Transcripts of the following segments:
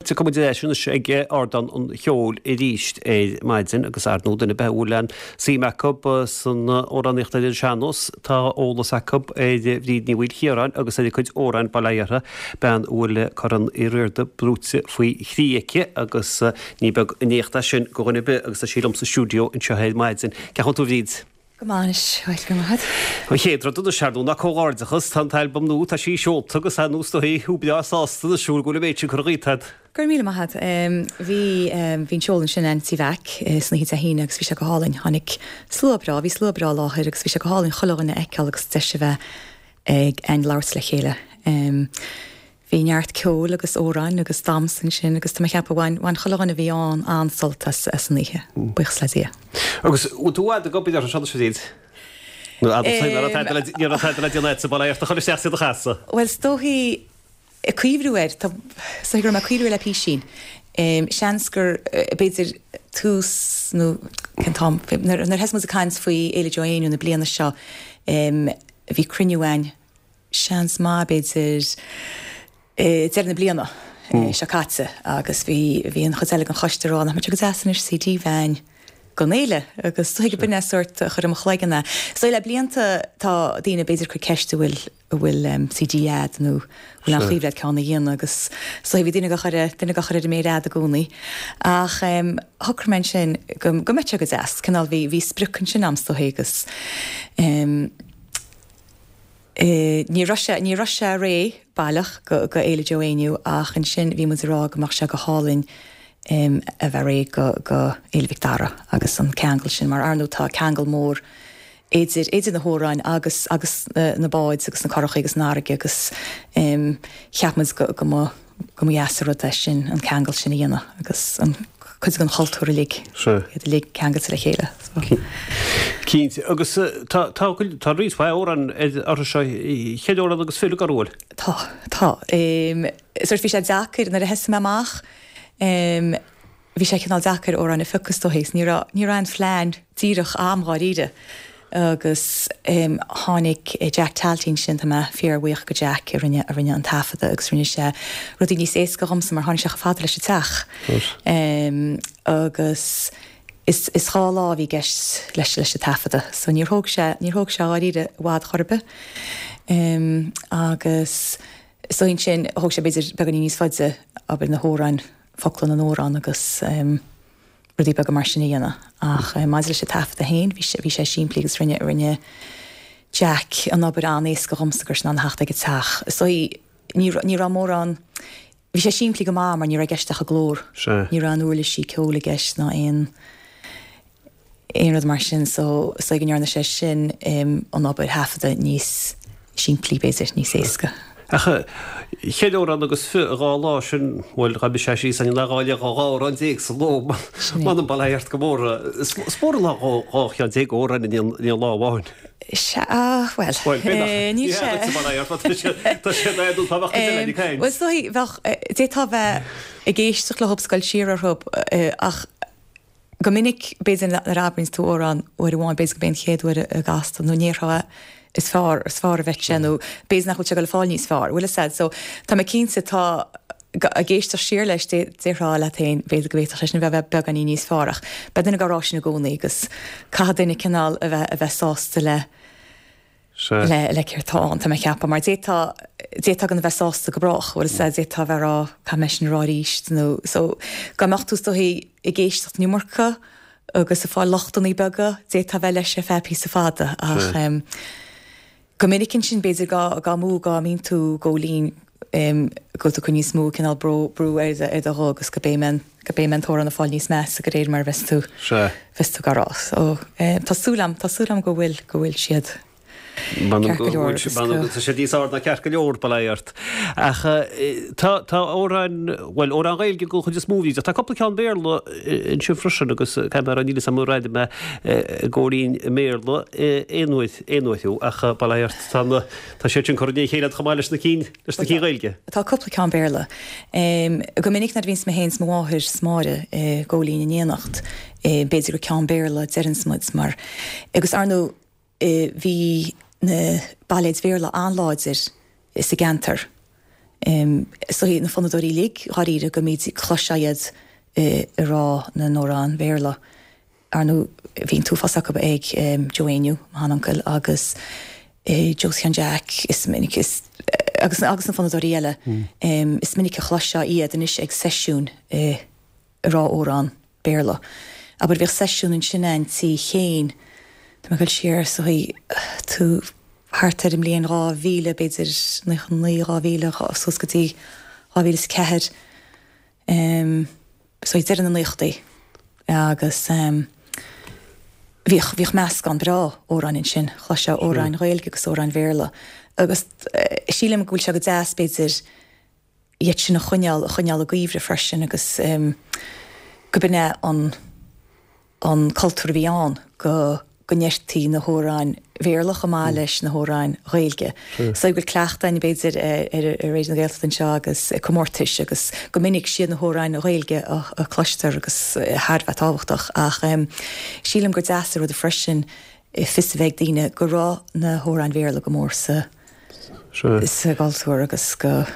Tiocfaidh muid ar ais anois ag Ardán an Cheoil arís ar maidin agus ar ndóigh duine ar bith a bhfuil aon suim acu san amhránaíocht ar an sean-nós, tá eolas acu ar Bhríd Ní Mhaoilchiaráin agus ar a cuid amhráin, bail ó Dhia uirthi, bean a bhfuil Corn Uí Riada brúite faoi thrí aici agus ní beag an éacht é sin do dhuine ar bith agus tá sí liom sa stiúideo anseo ar maidin. Cén chaoi a bhfuil tú a Bhríd? Go maith anois, bhuel, go raibh maith agat. An chéad rud anois, ar ndóigh, ná comhghairdeachas. Tá an t-albam nua, tá sí seolta agus ar ndóigh is dóigh thú breá sásta anois go bhfuil an méid sin curtha dhíot agat. Go raibh míle maith agat. Bhí, bhí an seoladh ansin in Tí Mheaic san oíche Dé hAoine agus bhí sé go hálainn. Tháinig slua breá, bhí slua breá i láthair agus bhí sé go hálainn chuile dhuine a fheiceáil agus deis a bheith ag againn labhairt le chéile. Bhí neart ceoil agus amhráin agus damhsa ansin agus tá mé ag ceapadh bhain, bhain chuile dhuine a bhí ann an-sult as, as an oíche, buíochas le Dia. Agus bhfuil tú i bhfad ag obair orthu seo anois a Bhríd? Nó fhad ó ní raibh tada le, ní raibh tada le déanamh agat sa bhaile ach do chur isteach is iad a chasadh? Bhuel is dóichí, ag cuimhniú air, tá, is dóichí go raibh mé ag cuimhniú air le písín. Seans gur, b'fhéidir tús nó cén t-am, nuair, nuair a thosaigh muid ag caint faoi Fhéile Joe Éinniú na bliana seo, bhí cruinniú againn, seans maith, b'fhéidir, deireadh na bliana seo caite agus bhí, bhí an chuid eile den choiste ag rá nach mbeadh sé go deas anois CD a bheith againn don fhéile agus is dóigh go b'in é sórt a chuir i mo chloigeann é. Is dóigh le blianta tá daoine b'fhéidir ag cur ceist an bhfuil, an bhfuil CD a'd nó an bhfuil aon chuimhne a'd ceann a dhéanamh agus is dóigh bhí duine á chur, duine á chur ar an méar fhada i gcónaí ach shocraigh mé ansin go, go mbeadh sé go deas, cineál bhí, bhí sprioc ansin a'm is dóigh agus. Ní raibh sé, ní raibh sé réidh baileach go, go Fhéile Joe Éinniú ach ansin bhí muid ag rá go mbeadh sé go hálainn a bheith réidh go, go Fhéile Mhic Dara agus an ceangal sin mar ar ndóigh tá ceangal mór idir, idir na hamhráin agus, agus na báid agus na curachaí agus an fharraige agus cheap muid go, go mba, go mba dheas an rud é sin, an ceangal sin a dhéanamh agus an cuid den chultúr uilig, iad uilig ceangailte le chéile. Cinnte. Agus tá, tá, tá roinnt mhaith amhrán orthu seo, cheithre amhrán agus fiche, an bhfuil? Tá, tá. Sórt bhí sé deacair nuair a thosaigh mé amach, bhí sé cineál deacair amhráin a phiocadh is dóigh, ní raibh, ní raibh aon phlean díreach a'm dháiríre agus tháinig Jack Talty ansin, tá mé fíorbhuíoch go Jack a rinne, a rinne an taifeadadh agus rinne sé rudaí níos éasca dhomsa mar tháinig sé chomh fada leis an teach agus is, is 2 lá a bhí i gceist leis, leis an taifeadadh so níor thóg sé, níor thóg sé dháiríre i bhfad chor ar bith agus is dóigh ansin thóg sé b'fhéidir beagáinín níos faide abair na hamhráin, focla na n-amhrán agus rudaí beaga mar sin a dhéanamh. Ach maidir leis an taifeadadh féin, bhí sé, bhí sé simplí agus rinne, rinne Jack an obair an-éasca dhomsa go raibh sé in ann a theacht ag an teach. Is dóigh, ní raibh, ní raibh mórán, bhí sé simplí go maith mar ní raibh i gceist ach an glór. Ní raibh aon uirlisí ceoil i gceist ná aon, aon rud mar sin so is dóigh go ndearna sé sin an obair thaifeadta níos simplí b'fhéidir, níos éasca. Ach cheithre amhrán agus 22 lá sin, bhuel, dá mbeadh sé síos ann, dhá leith 12 amhrán sa ló, m'anam bail ó Dhia ort go mór. Is mór an lá 12 cheann amhrán in aon lá amháin. Sea, bhuel, Bhuel, b'fhéidir nach, níl sé. Ní hea duitse bail ó Dhia ort, tá sé in éadan, tá bheadh cuid eile ag caint. Bhuel, is dóigh, bheadh, d'fhéadfá bheith ag éisteacht leo is ag dul siar orthu ach Go minic, b'fhéidir, nuair a abraíonns tú amhrán uair amháin, b'fhéidir gurb é an chéad uair a gcas tú, nó ní déarfá is fearr, is fearr a bheadh sé, nó b'fhéidir nach bhfuil sé ag dul ag fáil níos fearr, bhfuil fhios a'd. So, tá mé cinnte, tá, ag éisteacht siar leis, déarfá leat féin, b'fhéidir go bhféadfadh sé sin a bheith beagáinín níos fearr, ach beidh duine ag rá sin i gcónaí agus caithfidh duine cineál a bheith, a bheith sásta le, le le céard tá ann, tá mé ag ceapadh, mar d'fhéadfá, d'fhéadfá gan a bheith sásta go brách, bhfuil fhios a'd, d'fhéadfá a bheith ag rá caithfidh mé sin a rá arís nó, so, dá mbeadh tú is dóichí ag éisteacht an iomarca agus ag fáil lochtanna beaga, d'fhéadfá a bheith leis ar feadh píosa fada ach em go minic ansin b'fhéidir dá dá mó dá mbíonn tú ag gabháil fhoinn em go bhfuil tú ag cur níos mó cineál brú brú ar do ar do ghuth agus go b'é an go b'é an t-amhrán ag fáil níos measa de réir mar a bheas tú bheas tú á rá. So em tá súil a'm tá súil a'm go bhfuil go bhfuil siad ceart go leor agus go. Tá siad níos fearr ná ceart go leor, bail ó Dhia ort. Ach tá tá amhráin bhuel amhráin Ghaeilge den chuid is mó bhí tá cúpla ceann Béarla ansin freisin agus caithfidh mé a rá níl fhios a'm ar airigh mé ag gabháil fhoinn i mBéarla aon uair aon uair thú ach bail ó Dhia ort tá na Tá siad sin curtha i ndiaidh a chéile chomh maith leis na cinn, leis na cinn Ghaeilge. Tá cúpla ceann Béarla. Go minic nuair a bhíonns mé féin 's mo mháthair 's Máire ag gabháil fhoinn in éineacht, b'fhéidir gur ceann Béarla a deireanns muid mar, agus ar ndóigh bhí na bailéid Bhéarla an-láidir sa gceantar. Is dóichí na fonnadóirí uilig dháiríre go mbíd cloisfeá iad ag rá na n-amhrán Béarla. Ar ndóigh bhí an t-uafás acu ag Joe Éinniú, mo sheanuncail, agus Joe Sheáin Jeaic, is minic is agus agus na fonnadóirí eile, is minic a chloisfeá iad anois ag seisiúin ag rá amhrán Béarla. Abair bhíodh seisiún ansin a'inn tí Chéin, tá mé ag dul siar is dóichí tú thart ar an mbliain 2000 b'fhéidir, 99, 2000, suas go dtí 2004. Is dóichí deireadh na naochadaí agus bhíodh, bhíodh meascán breá amhráin ansin, chloisfeá amhráin Ghaeilge agus amhráin Bhéarla agus sílim go bhfuil sé go deas b'fhéidir iad sin a choinneáil, a choinneáil i gcuimhne freisin agus go b'in é an. an cultúr a bhí ann go go ndeirtí na hamhráin Bhéarla chomh maith leis na hamhráin Ghaeilge. Is dóigh go bhfuil cleachtadh againn b'fhéidir ar Raidió na Gaeltachta anseo agus ag comórtais agus go minic siad na hamhráin Ghaeilge a cloistear agus thar a bheith tábhachtach ach sílim gur deas an rud freisin fios a bheith ag daoine go raibh na hamhráin Bhéarla go mór sa sa gcultúr agus go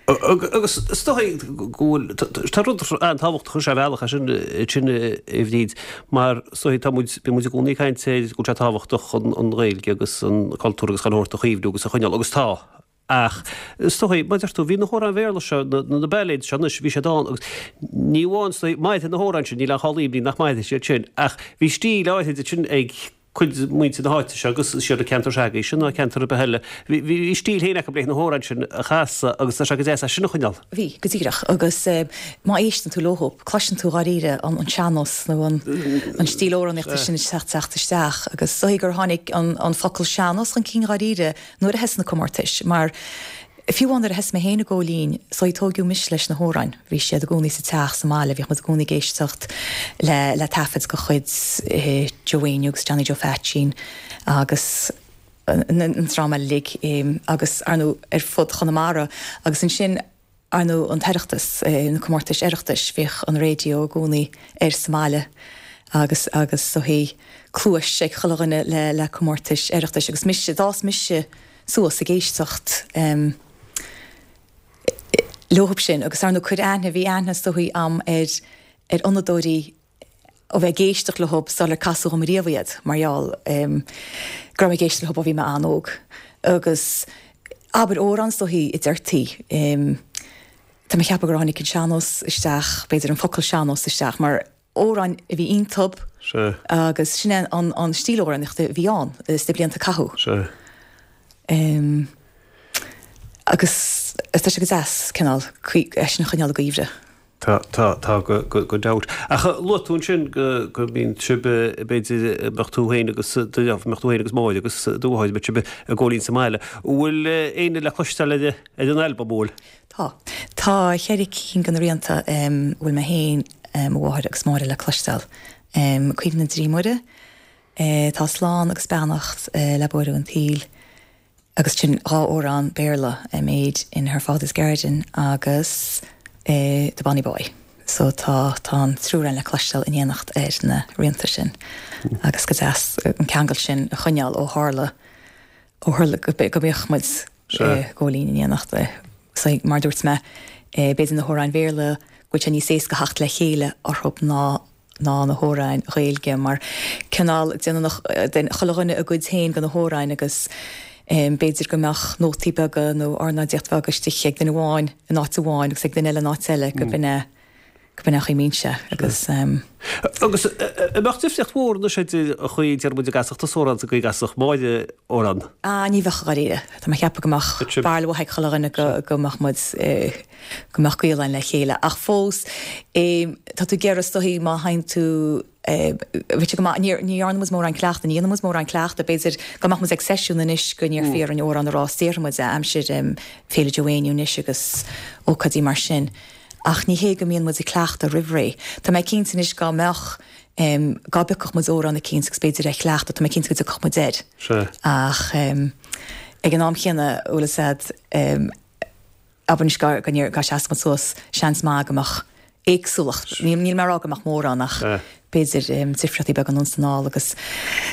Agus is dóigh go bhfuil, tá rud an-tábhachtach ar bhealach é sin, sin a Bhríd, mar is dóigh tá muid, bíonn muid i gcónaí ag caint ar go bhfuil sé tábhachtach an Ghaeilge agus an cultúr agus chuile shórt a chaomhnú agus a choinneáil agus tá. Ach is dóigh, mar a deir tú, bhí na hamhráin Bhéarla seo, na bailéid seo anois, bhí siad ann agus ní amháin is dóigh, mairfidh na hamhráin sin, níl aon chall imní nach mairfidh siad sin, ach bhí stíl áirid ansin ag cuid de mhuintir na háite seo agus is iad an ceantar s'agaibhse ná ceantar ar bith eile. Bhí stíl féin acu leis na hamhráin sin a chasadh agus tá sé go deas é sin a choinneáil. Bhí, go díreach. Agus má éisteann tú leo, cloiseann tú dháiríre an sean-nós nó an stíl amhránaíochta sin ag teacht isteach. Agus is dóigh gur tháinig an focal sean-nós chun cinn dháiríre nuair a thosaigh na comórtais mar Fiú amháin nuair a thosaigh mé féin ag gabháil fhoinn, is dóigh tóigeadh mise leis na hamhráin. Bhí siad i gcónaí sa teach, sa mbaile, bhíodh muid i gcónaí ag éisteacht le le taifid de chuid Joe Éinniú agus Johnny Joe Pheaitsín agus an dream eile uilig agus, ar ndóigh, ar fud Chonamara. Agus ansin, ar ndóigh, an tOireachtas, na comórtais Oireachtais, bhíodh an raidió i gcónaí air sa mbaile agus agus is dóigh cluais ag chuile dhuine le le comórtais Oireachtais agus mise, d'fhás mise suas ag éisteacht leothab sin agus ar ndóigh cuir aithne, bhí aithne is dóichí a'm ar ar fhonnadóirí ó bheith ag éisteacht leothab sular casadh dhom riamh iad mar gheall go raibh mé ag éisteacht leothab ó bhí mé an-óg agus abair amhrán is dóichí a deirtí tá mé ag ceapadh gur tháinig an sean-nós isteach, b'fhéidir an focal sean-nós isteach mar amhráin a bhí iontub Sea. agus sin é an an stíl amhránaíochta a bhí ann sna blianta a caitheadh. Sea. Em agus tá sé go deas cineál é sin a choinneáil i gcuimhne. Tá, tá, tá go, go, gan dabht. Ach luaigh tú ansin go, go mbíonn sibh, b'fhéidir, mbeadh tú féin agus do, mbeadh tú féin agus Máire agus do mháthair, mbeadh sibh ag gabháil fhoinn sa mbaile. An bhfuil éinne le cloisteáil ar, ar an albam, an bhfuil? Tá. Tá cheithre cinn de na rianta a bhfuil mé féin, mo mháthair agus Máire le cloisteáil. Cuimhne na dTrí Muire, Tá Slán agus Beannacht le Buaireamh an tSaoil agus sin dhá amhrán Béarla, Made in Her Father's Garden agus The Bonny Boy. So tá tá an triúr againn le cloisteáil in éineacht ar na rianta sin agus go deas an ceangal sin a choinneáil ó tharla ó tharla go mbíodh muid ag gabháil fhoinn in éineacht. So, mar a dúirt mé, b'fhéidir na hamhráin Bhéarla go bhfuil sé níos éasca theacht le chéile orthu ná ná na hamhráin Ghaeilge mar cineál déanann chuile dhuine a gcuid féin de na hamhráin agus b'fhéidir go mbeadh nótaí beaga nó ornáidíocht bheag istigh ag duine amháin in áit amháin agus ag duine eile in áit eile go b'in é go b'in é an chaoi a mbíonn sé agus. Agus an mbeadh difríocht mhór anois idir an chaoi a deir muid a gcasfadh tusa amhrán is an gcaoi a gcasfadh Máire amhrán? Ah ní bheadh dháiríre. Tá mé ag ceapadh go mbeadh barúil mhaith ag chuile dhuine go go mbeadh muid go mbeadh gaol againn le chéile. Ach fós tá tú ag iarraidh is dóichí má théann tú bheadh sé go maith ní ní dhearna muid mórán cleachtaidh ní dhéanann muid mórán cleachtaidh b'fhéidir go mbeadh muid ag seisiún anois go n-iarrfaí orainn amhrán a rá is déarfaidh muid é aimsir Féile Joe Éinniú anois agus ócáidí mar sin. Ach ní hé go mbíonn muid ag cleachtadh roimh ré. Tá mé cinnte anois dá mbeadh, dá bpiocfadh muid amhrán eicínt agus b'fhéidir é a chleachtadh, tá mé cinnte go dtiocfadh muid air. Sea. Ach ag an am chéanna, bhfuil fhios a'd, abair anois dá, dá seasfadh muid suas, seans maith go mbeadh. Éagsúlacht. Níl mé ag rá go mbeadh mórán ach b'fhéidir difríochtaí beaga anonn is anall agus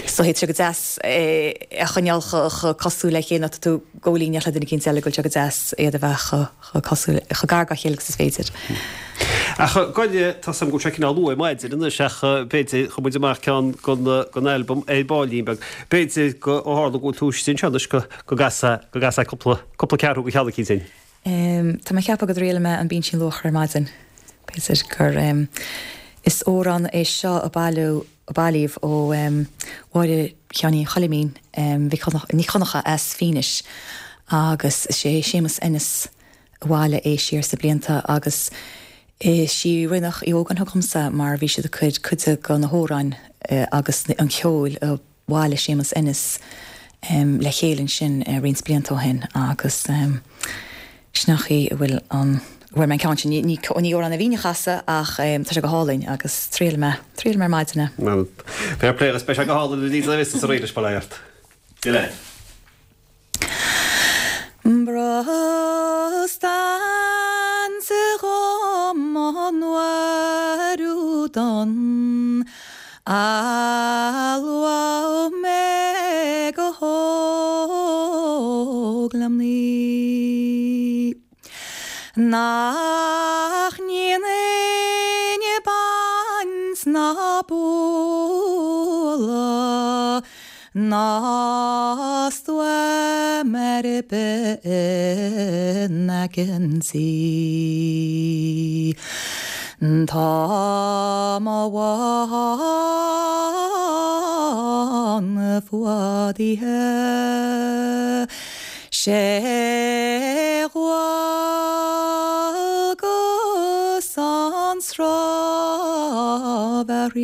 so tá sé go deas é a choinneáil chomh cosúil le chéile nó tá tú ag gabháil in éineacht le duine eicínt eile go bhfuil sé go deas iad a bheith chomh cosúil, chomh gar dá chéile agus is féidir. Ach goile, tá 's agam go bhfuil sé cineál luath ar maidin anois ach b'fhéidir, chuir muid amach ceann den albam ar baillín beag. B'fhéidir go, ó tharla go bhfuil tú istigh anseo anois go gcasfá, go gcasfá cúpla, cúpla ceathrú de cheann eicínt dúinn. Tá mé ag ceapadh go dtriailfidh mé an Binsean Luachra ar maidin. B'fhéidir gur Is amhrán é seo a bailiú a bailíodh ó Mháire Sheáinín Choilimín Mhic Ní Dhonncha as Fínis agus is é Séamus Ennis a bhailigh é siar sna blianta agus is í Rinneach Uí Ógáin a thug dhomsa mar bhí siad ag cur cuid de na hamhráin agus an cheoil a bhailigh Séamus Ennis le chéile ansin roinnt blianta ó shin agus sin an chaoi a bhfuil an, a bhfuair mé an ceann sin. Ní amhrán a bhínn a chasadh ach tá sé go hálainn agus triailfidh mé, triailfidh mé ar maidin é. Bhuel, fair play agus beidh sé go hálainn a Lisa is arís, bail ó Dhia ort. Dia leat. Brostan sa ghomán uairiú don almhaith mé go hóg le mnaoi. Nach ndéanfainn baint ná bualadh ná stuaim ar bith in aice an tí. Tá mo bhán fuadaithe. Sé dhualgas an srámh a throid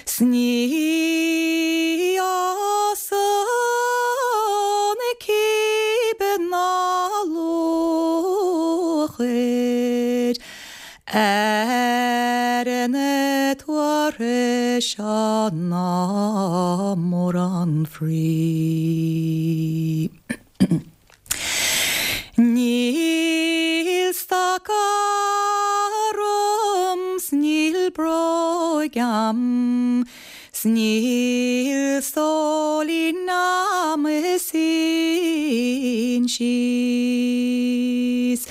's ní fhásann cíbe ná luachair Ar na tuartha seo ná mórán fraoigh. Níl stoca orm 's níl bróig a'm 's níl stóilín a'm is sín síos.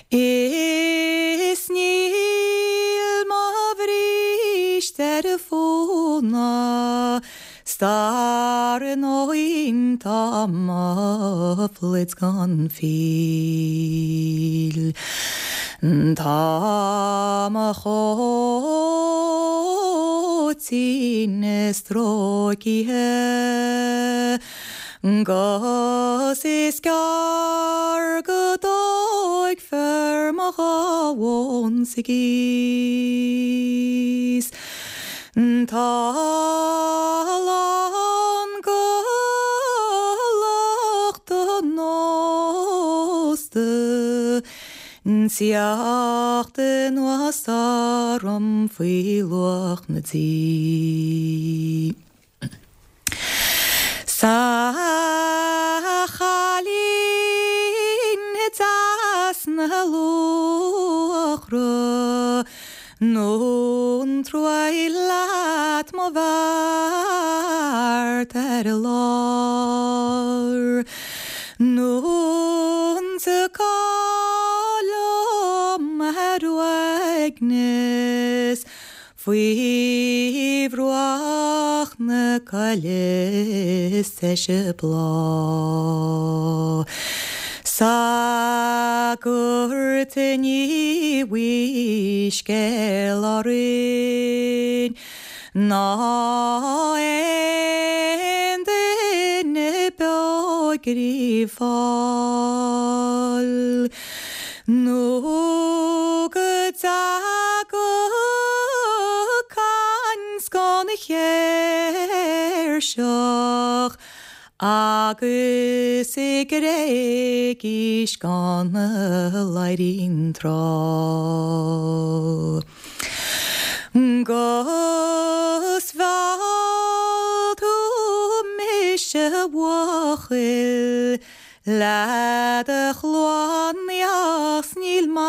Is níl mo bhríste ar fóna 's dar ndóin tá mo phluid gan fuíoll. Tá mo chóitín stróicithe. 'Gus is gearr go dtóigfear mo ghamhain sa gcíos. Tá a lán go lucht an ósta 'Teacht anuas orm faoi luach na dí. 'S a chailín deas na luachra, nó an truaigh leat mo bheart ar lár, nó an dtiocfá liom ar uaigneas Faoi bhruach na coille is deise bláth. 'S Sagart ní bhfuil scéal orainn ná aon duine beo ag gríobháil. Nó go dtaga caint gan chéirseach agus i gCreigís gan Laidhrín tráth. 'Gus mheall tú mise a bhuachaill Le do chluanaíocht 's níl maith.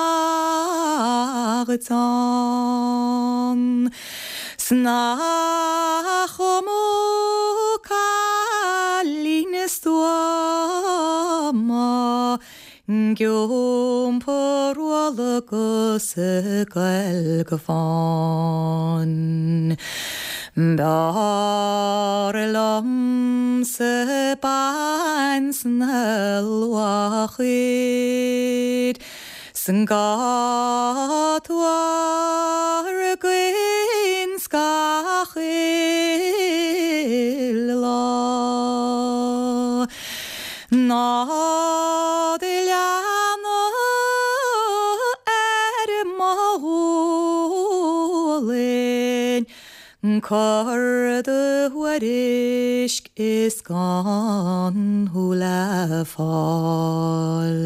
dhuit ann. 'S nach iomaí cailín stuama Ag iompar ualla 'gus ag goil go fáin. B'fhearr liomsa bean sna luachair 'S gan tuar againn gach uile lá. Ná do leanadh ar mo ghualainn Cur do thuairisc is gan thú le fáil.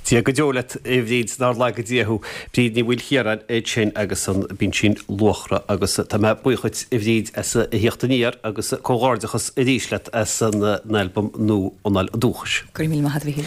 Dia go deo leat, a Bhríd, nár laga Dia thú. Bríd Ní Mhaoilchiaráin ansin agus an Binsean Luachra agus tá mé buíoch dhuit, a Bhríd, as a thíocht aniar agus comhghairdeachas arís leat as an albam nua Anáil Dúchais. Go raibh míle maith agat, a Mhíchíl.